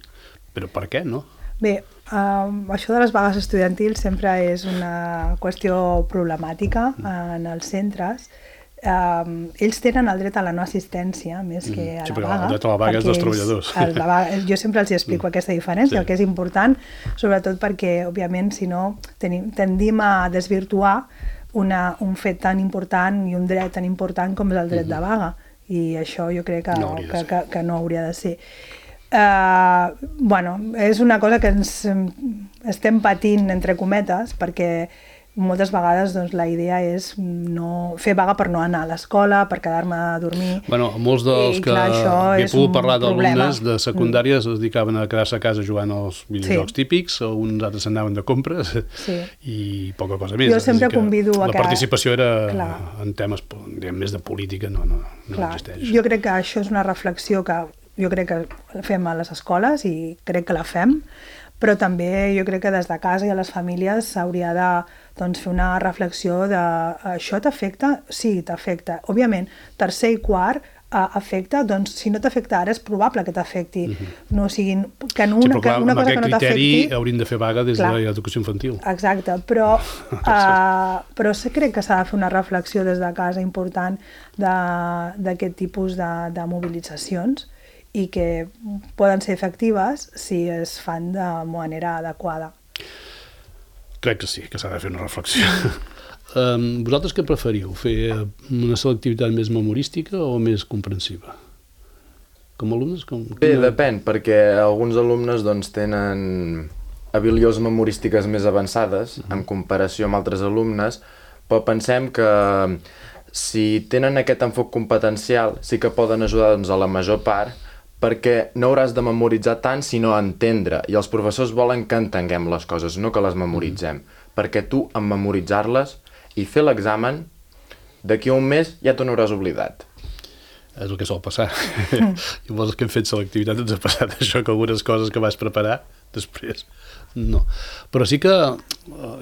però per què no? Bé, això de les vagues estudiantils sempre és una qüestió problemàtica en els centres. Ells tenen el dret a la no assistència més que a la vaga. Sí, però el dret a la vaga és dels treballadors. Jo sempre els explico aquesta diferència, el que és important, sobretot perquè, òbviament, si no, tendim a desvirtuar un fet tan important i un dret tan important com és el dret de vaga, i això jo crec que no hauria de ser. És una cosa que estem patint, entre cometes, perquè moltes vegades la idea és fer vaga per no anar a l'escola, per quedar-me a dormir. Molts dels que he pogut parlar d'alumnes de secundària es dedicaven a quedar-se a casa jugant als videojocs típics, uns altres anaven de compres i poca cosa més. Jo sempre convido a que... La participació era en temes més de política, no existeix. Jo crec que això és una reflexió que jo crec que fem a les escoles i crec que la fem, però també jo crec que des de casa i a les famílies s'hauria de fer una reflexió de això t'afecta? Sí, t'afecta. Òbviament, tercer i quart afecta, doncs si no t'afecta ara és probable que t'afecti. No siguin... Que una cosa que no t'afecti... Amb aquest criteri hauríem de fer vaga des de l'educació infantil. Exacte, però crec que s'ha de fer una reflexió des de casa important d'aquest tipus de mobilitzacions i que poden ser efectives si es fan de manera adequada. Crec que sí, que s'ha de fer una reflexió. Vosaltres què preferiu? Fer una selectivitat més memorística o més comprensiva? Com a alumnes? Bé, depèn, perquè alguns alumnes doncs, tenen habilitats memorístiques més avançades en comparació amb altres alumnes, però pensem que si tenen aquest enfoc competencial sí que poden ajudar doncs, a la major part, perquè no hauràs de memoritzar tant sinó entendre, i els professors volen que entenguem les coses, no que les memoritzem, perquè tu en memoritzar-les i fer l'examen, d'aquí a un mes ja t'ho n'hauràs oblidat. És el que sol passar. I els que hem fet selectivitat ens ha passat això, que algunes coses que vas preparar després no. Però sí que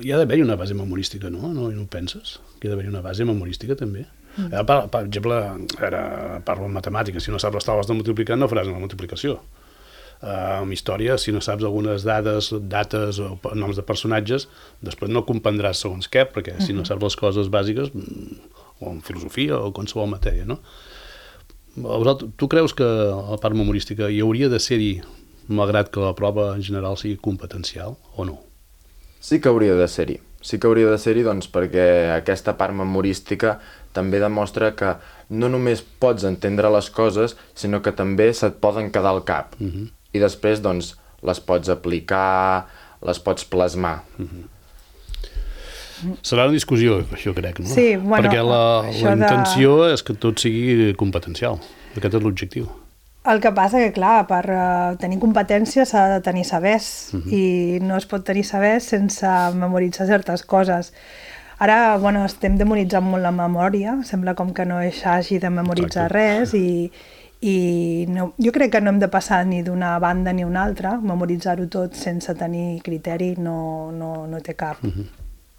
hi ha d'haver-hi una base memorística, no? No ho penses? Que hi ha d'haver-hi una base memorística també? Per exemple, ara parlo en matemàtiques, si no saps les taules de multiplicar no faràs una multiplicació. En història, si no saps algunes dades, dates o noms de personatges, després no comprendràs segons què, perquè si no saps les coses bàsiques, o en filosofia o qualsevol matèria, no? Tu creus que a la part memorística hi hauria de ser-hi, malgrat que la prova en general sigui competencial, o no? Sí que hauria de ser-hi. Sí que hauria de ser-hi doncs, perquè aquesta part memorística també demostra que no només pots entendre les coses, sinó que també se't poden quedar al cap. I després doncs, les pots aplicar, les pots plasmar. Serà una discussió, això crec, no? Sí, bueno, perquè la intenció és que tot sigui competencial. Aquest és l'objectiu. El que passa que, clar, per tenir competència s'ha de tenir sabers i no es pot tenir sabers sense memoritzar certes coses. Ara, bueno, estem demonitzant molt la memòria, sembla com que no s'hagi de memoritzar res i no, jo crec que no hem de passar ni d'una banda ni una altra, memoritzar-ho tot sense tenir criteri no té cap...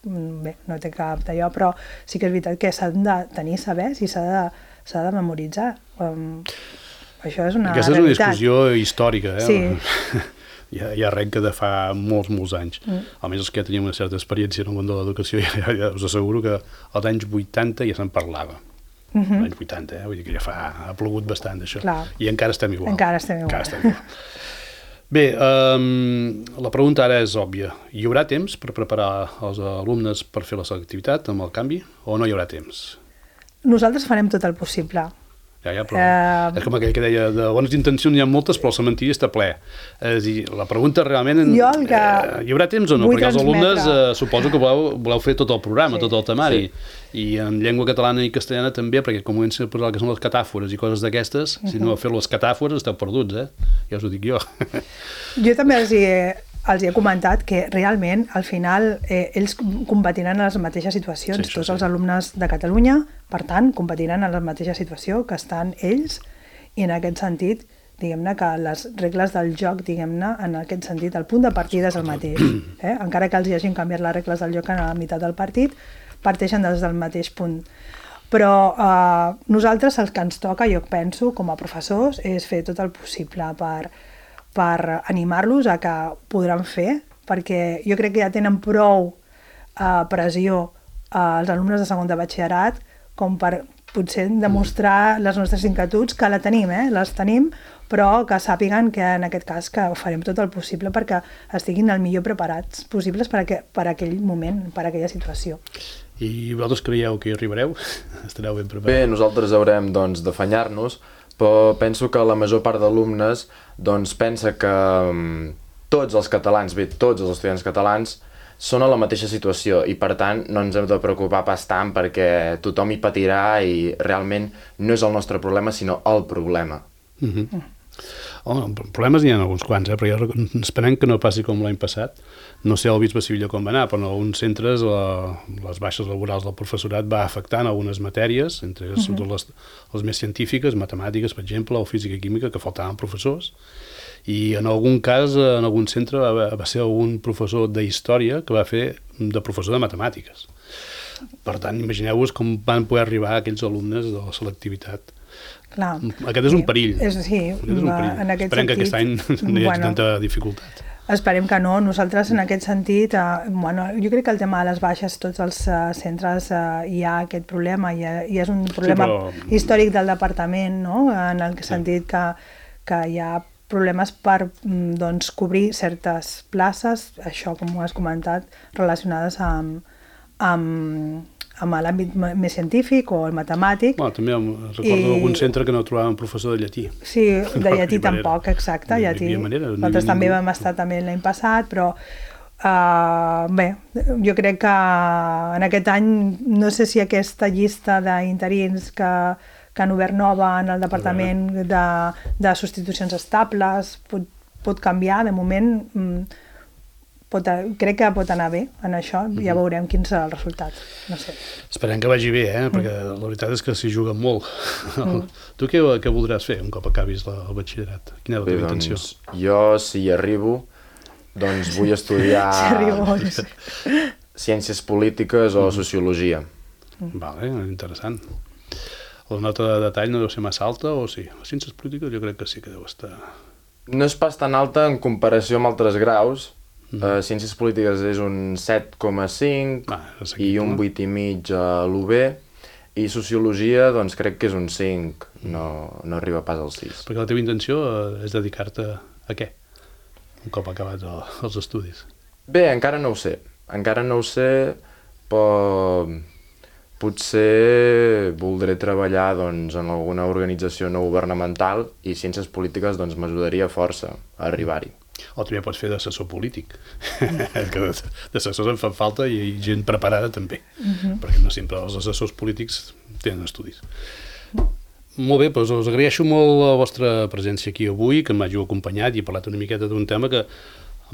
Bé, no té cap d'allò, però sí que és veritat que s'han de tenir sabers i s'ha de memoritzar. Això és una realitat. Aquesta és una discussió històrica, Sí. Ja arrenca de fa molts anys. Almenys els que ja teníem una certa experiència en el món de l'educació, ja us asseguro que als anys 80 ja se'n parlava. Als anys 80, vull dir que ja ha plogut bastant d'això. I encara estem igual. Encara estem igual. Bé, la pregunta ara és òbvia. Hi haurà temps per preparar els alumnes per fer la selectivitat amb el canvi o no hi haurà temps? Nosaltres farem tot el possible. Ja, però és com aquell que deia, de bones intencions n'hi ha moltes, però el cementiri està ple. És a dir, la pregunta realment... Hi haurà temps o no? Perquè els alumnes suposo que voleu fer tot el programa, tot el temari. I en llengua catalana i castellana també, perquè com comença a posar el que són les catàfores i coses d'aquestes, si no fer les catàfores esteu perduts, ja us ho dic jo. Jo també els he comentat que realment al final ells competiran en les mateixes situacions, tots els alumnes de Catalunya, per tant, competiran en la mateixa situació que estan ells i en aquest sentit, diguem-ne que les regles del joc, diguem-ne, en aquest sentit, el punt de partida és el mateix. Encara que els hi hagin canviat les regles del joc a la meitat del partit, parteixen des del mateix punt. Però nosaltres el que ens toca, jo penso, com a professors, és fer tot el possible per animar-los a que ho podran fer, perquè jo crec que ja tenen prou pressió els alumnes de segon de batxillerat com per potser demostrar les nostres inquietuds, que les tenim, però que sàpiguen que en aquest cas que farem tot el possible perquè estiguin el millor preparats possibles per aquell moment, per aquella situació. I vosaltres creieu que hi arribareu? Estareu ben preparats? Bé, nosaltres haurem d'afanyar-nos, però penso que la major part d'alumnes pensa que tots els catalans, tots els estudiants catalans, són a la mateixa situació i per tant no ens hem de preocupar pas tant perquè tothom hi patirà i realment no és el nostre problema sinó el problema. Problemes n'hi ha alguns quants, però esperem que no passi com l'any passat. No sé el Bisbe Sevilla com va anar, però en alguns centres les baixes laborals del professorat va afectant algunes matèries, entre les més científiques, matemàtiques, per exemple, o física i química, que faltaven professors. I en algun cas, en algun centre, va ser algun professor de història que va fer de professor de matemàtiques. Per tant, imagineu-vos com van poder arribar aquells alumnes de la selectivitat. Clar. Aquest és un perill. Sí, en aquest Esperem que aquest any no hi hagi tanta dificultat. Esperem que no. Nosaltres, en aquest sentit, jo crec que el tema de les baixes, tots els centres hi ha aquest problema, i és un problema històric del departament, no? En el sentit que hi ha problemes per doncs, cobrir certes places, això com ho has comentat, relacionades amb l'àmbit més científic o el matemàtic. Bueno, també recordo d'algun centre que no trobàvem professor de llatí. Sí, de llatí tampoc, exacte. Llatí. Nosaltres també vam estar també l'any passat, però bé, jo crec que en aquest any, no sé si aquesta llista d'interins que han obert nova en el Departament de substitucions estables pot canviar, de moment crec que pot anar bé en això, ja veurem quin serà el resultat, no sé. Esperem que vagi bé, perquè la veritat és que s'hi juga molt. Tu què voldràs fer un cop acabis el batxillerat? Quina és la teva intenció? Jo, si hi arribo, doncs vull estudiar ciències polítiques o sociologia. Vale, interessant. La nota de detall no deu ser massa alta o sí? Les ciències polítiques jo crec que sí que deu estar... No és pas tan alta en comparació amb altres graus. Ciències polítiques és un 7,5 i un 8,5 a l'UB, i sociologia doncs crec que és un 5, no arriba pas al 6. Perquè la teva intenció és dedicar-te a què? Un cop acabats els estudis. Bé, encara no ho sé, però potser voldré treballar doncs, en alguna organització no governamental i ciències polítiques doncs, m'ajudaria força a arribar-hi. O també pots fer d'assessor polític, que d'assessors en fan falta i gent preparada també, perquè no sempre els assessors polítics tenen estudis. Molt bé, doncs us agraeixo molt la vostra presència aquí avui, que m'hàgiu acompanyat i he parlat una miqueta d'un tema que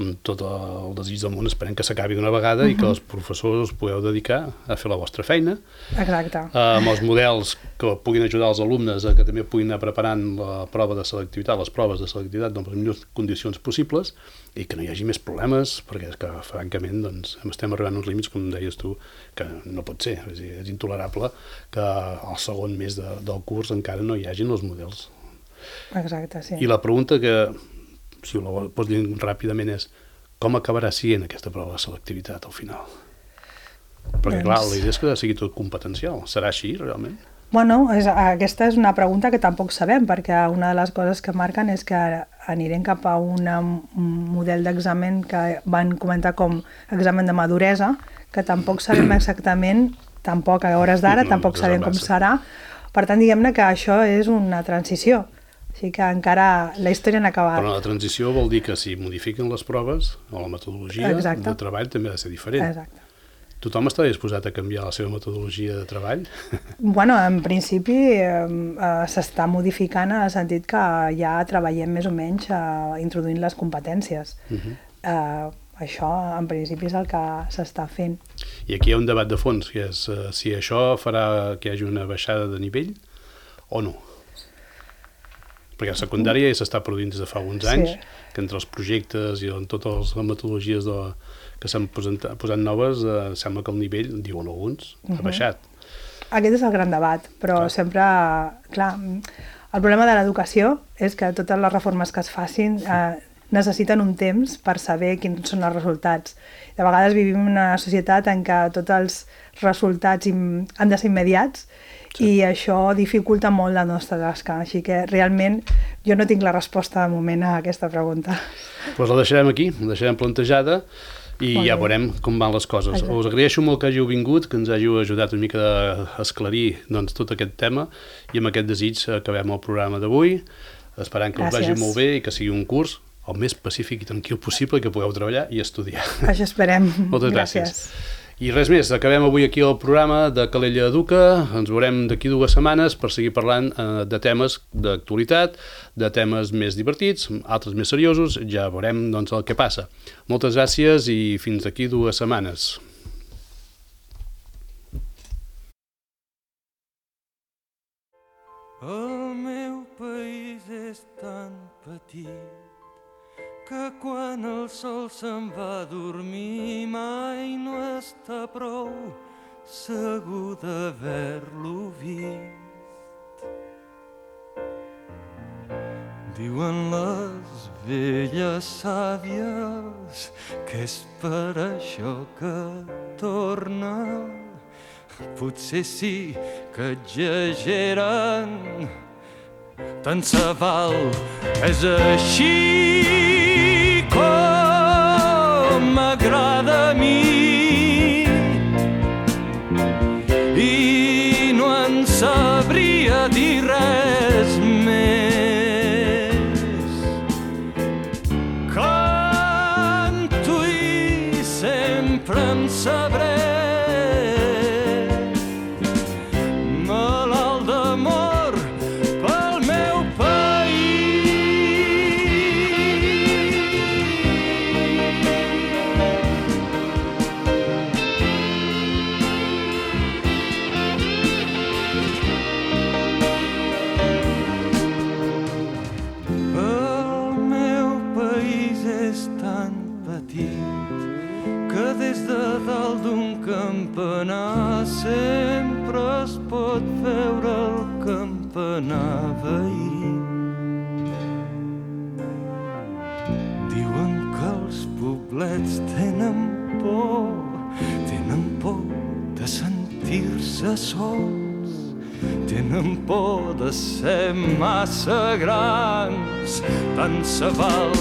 amb tot el desig del món esperem que s'acabi d'una vegada i que els professors us pugueu dedicar a fer la vostra feina. Exacte. Amb els models que puguin ajudar els alumnes a que també puguin anar preparant la prova de selectivitat, les proves de selectivitat en les millors condicions possibles i que no hi hagi més problemes, perquè és que francament doncs, estem arribant a uns límits, com deies tu, que no pot ser. És intolerable que al segon mes del curs encara no hi hagin els models. Exacte, sí. I la pregunta que si ho pots dir ràpidament és com acabarà sent aquesta prova de selectivitat al final? Perquè clar, la idea és que sigui tot competencial. Serà així realment? Bueno, aquesta és una pregunta que tampoc sabem, perquè una de les coses que marquen és que anirem cap a un model d'examen que van comentar com examen de maduresa, que tampoc sabem exactament, tampoc a hores d'ara, tampoc sabem com serà. Per tant, diguem-ne que això és una transició. Així que encara la història n'ha acabat. Però la transició vol dir que si modifiquen les proves o la metodologia de treball també ha de ser diferent. Exacte. Tothom està disposat a canviar la seva metodologia de treball? Bueno, en principi s'està modificant en el sentit que ja treballem més o menys introduint les competències. Això, en principi, és el que s'està fent. I aquí hi ha un debat de fons, que és si això farà que hi hagi una baixada de nivell o no. Perquè a secundària ja s'està produint des de fa alguns anys, que entre els projectes i en totes les metodologies que s'han posat noves, sembla que el nivell, diuen alguns, ha baixat. Aquest és el gran debat, però sempre, clar, el problema de l'educació és que totes les reformes que es facin necessiten un temps per saber quins són els resultats. De vegades vivim en una societat en què tots els resultats han de ser immediats, i això dificulta molt la nostra tasca, així que realment jo no tinc la resposta de moment a aquesta pregunta. Doncs la deixarem aquí, la deixarem plantejada i ja veurem com van les coses. Us agraeixo molt que hàgiu vingut, que ens hàgiu ajudat una mica a esclarir tot aquest tema i amb aquest desig acabem el programa d'avui, esperant que us vagi molt bé i que sigui un curs el més pacífic i tranquil possible, que pugueu treballar i estudiar. Això esperem. Moltes gràcies. I res més, acabem avui aquí el programa de Calella Educa, ens veurem d'aquí 2 setmanes per seguir parlant de temes d'actualitat, de temes més divertits, altres més seriosos, ja veurem doncs, el que passa. Moltes gràcies i fins d'aquí 2 setmanes. El meu país és tan petit que quan el sol se'n va a dormir mai no està prou segur d'haver-lo vist. Diuen les velles sàvies que és per això que torna. Potser sí que exageren, tant se val. És així com m'agrada a mi i no en sabria dir res més. Canto i sempre en sabré, malalt d'amor pel meu campanar sempre es pot veure el campanar veí. Diuen que els poblets tenen por de sentir-se sols, tenen por de ser massa grans, tant se val.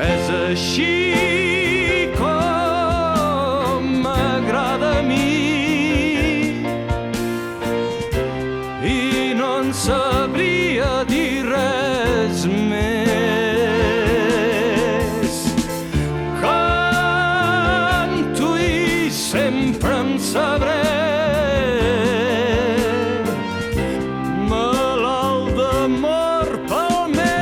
És així com m'agrada a mi i no en sabria dir res més. Canto i sempre en sabré, malalt d'amor pel meu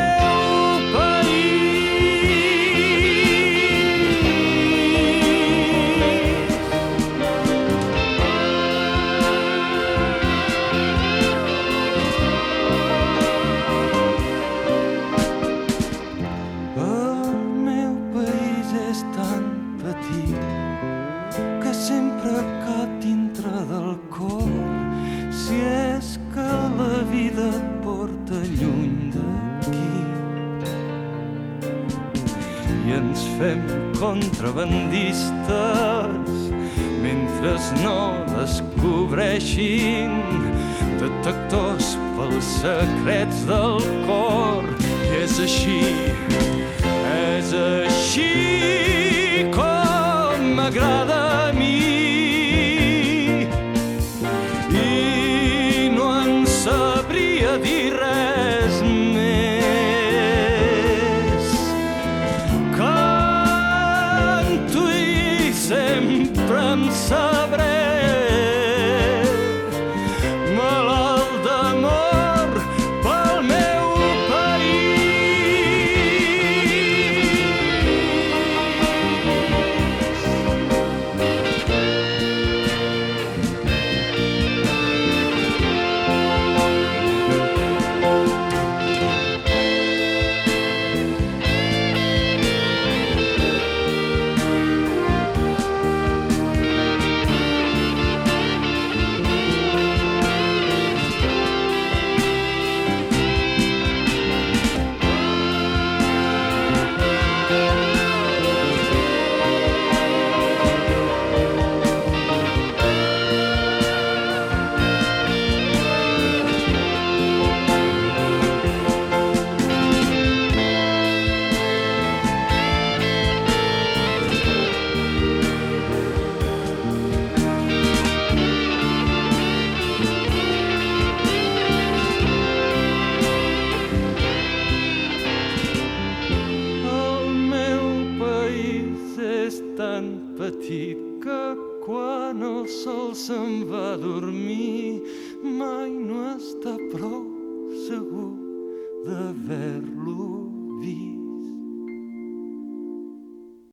fem contrabandistes mentre no descobreixin detectors pels secrets del cor. I és així com m'agrada a mi i no en sabria dir res més. Canto i sempre en sabré, malalt d'amor pel meu petit que quan el sol se'n va a dormir mai no està prou